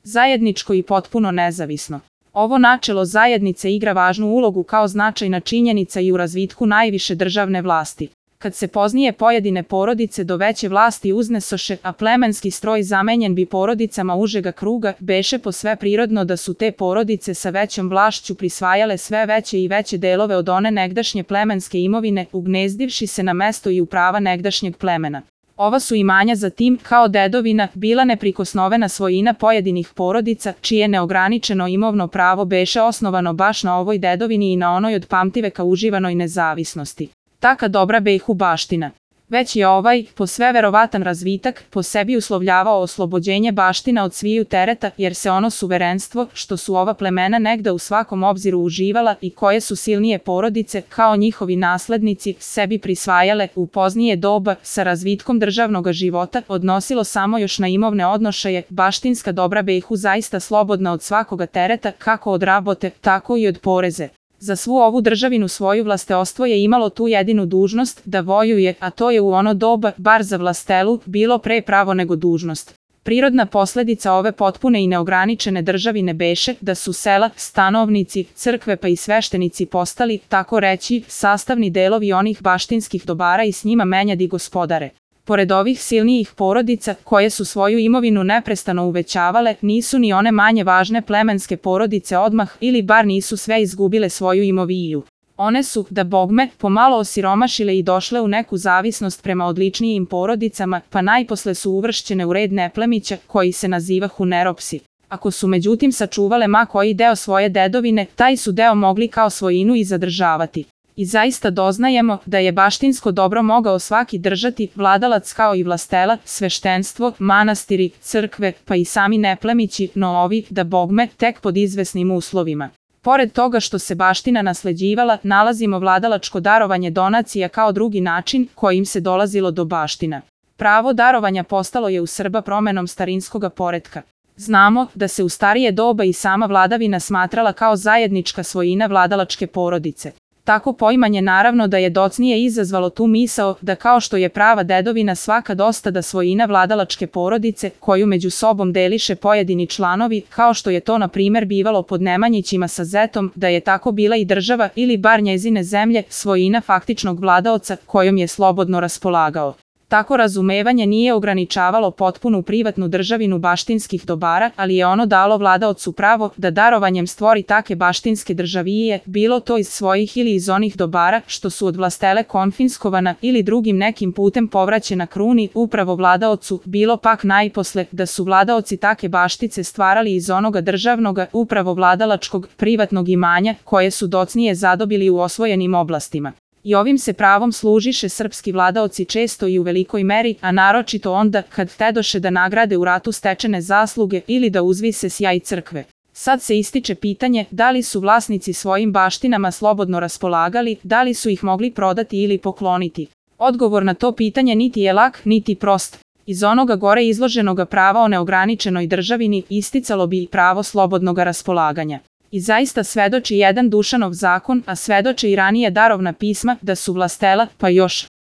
zajedničko i potpuno nezavisno. Ovo načelo zajednice igra važnu ulogu kao značajna činjenica i u razvitku najviše državne vlasti. Kad se poznije pojedine porodice do veće vlasti uznesoše, a plemenski stroj zamenjen bi porodicama užega kruga, beše posve prirodno da su te porodice sa većom vlašću prisvajale sve veće i veće delove od one negdašnje plemenske imovine, ugnezdivši se na mesto i u prava negdašnjeg plemena. Ova su imanja zatim, kao dedovina, bila neprikosnovena svojina pojedinih porodica, čije neograničeno imovno pravo beše osnovano baš na ovoj dedovini i na onoj od pamtiveka uživanoj nezavisnosti. Taka dobra behu baština. Već je ovaj, po sve verovatan razvitak, po sebi uslovljavao oslobođenje baština od sviju tereta, jer se ono suverenstvo, što su ova plemena negda u svakom obziru uživala i koje su silnije porodice, kao njihovi naslednici, sebi prisvajale u poznije doba, sa razvitkom državnog života, odnosilo samo još na imovne odnošaje, baštinska dobra behu zaista slobodna od svakoga tereta, kako od rabote, tako i od poreze. Za svu ovu državinu svoju vlasteostvo je imalo tu jedinu dužnost, da vojuje, a to je u ono doba, bar za vlastelu, bilo pre pravo nego dužnost. Prirodna posledica ove potpune i neograničene državine beše, da su sela, stanovnici, crkve pa i sveštenici postali, tako reći, sastavni delovi onih baštinskih dobara i s njima menjadi gospodare. Pored ovih silnijih porodica, koje su svoju imovinu neprestano uvećavale, nisu ni one manje važne plemenske porodice odmah ili bar nisu sve izgubile svoju imoviju. One su, da bogme, pomalo osiromašile i došle u neku zavisnost prema odličnijim porodicama, pa najposle su uvršćene u red neplemića, koji se nazivahu neropsi. Ako su međutim sačuvale ma koji deo svoje dedovine, taj su deo mogli kao svojinu i zadržavati. I zaista doznajemo da je baštinsko dobro mogao svaki držati, vladalac kao i vlastela, sveštenstvo, manastiri, crkve, pa i sami neplemići, no ovi, da bogme, tek pod izvesnim uslovima. Pored toga što se baština nasleđivala, nalazimo vladalačko darovanje donacija kao drugi način kojim se dolazilo do baština. Pravo darovanja postalo je u Srba promenom starinskoga poretka. Znamo da se u starije doba i sama vladavina smatrala kao zajednička svojina vladalačke porodice. Tako poimanje naravno da je docnije izazvalo tu misao da kao što je prava dedovina svaka dostada svojina vladalačke porodice koju među sobom deliše pojedini članovi, kao što je to na primer bivalo pod Nemanjićima sa Zetom, da je tako bila i država ili bar njezine zemlje svojina faktičnog vladaoca kojom je slobodno raspolagao. Tako razumevanje nije ograničavalo potpunu privatnu državinu baštinskih dobara, ali je ono dalo vladaocu pravo da darovanjem stvori take baštinske državije, bilo to iz svojih ili iz onih dobara što su od vlastele konfiskovana ili drugim nekim putem povraćena kruni upravo vladaocu, bilo pak najposle da su vladaoci take baštice stvarali iz onoga državnoga, upravo vladalačkog, privatnog imanja, koje su docnije zadobili u osvojenim oblastima. I ovim se pravom služiše srpski vladaoci često i u velikoj meri, a naročito onda kad tedoše da nagrade u ratu stečene zasluge ili da uzvise sjaj crkve. Sad se ističe pitanje da li su vlasnici svojim baštinama slobodno raspolagali, da li su ih mogli prodati ili pokloniti. Odgovor na to pitanje niti je lak, niti prost. Iz onoga gore izloženoga prava o neograničenoj državini isticalo bi i pravo slobodnog raspolaganja. I zaista svedoči jedan Dušanov zakon, a svedoče i ranije darovna pisma, da su vlastela, pa još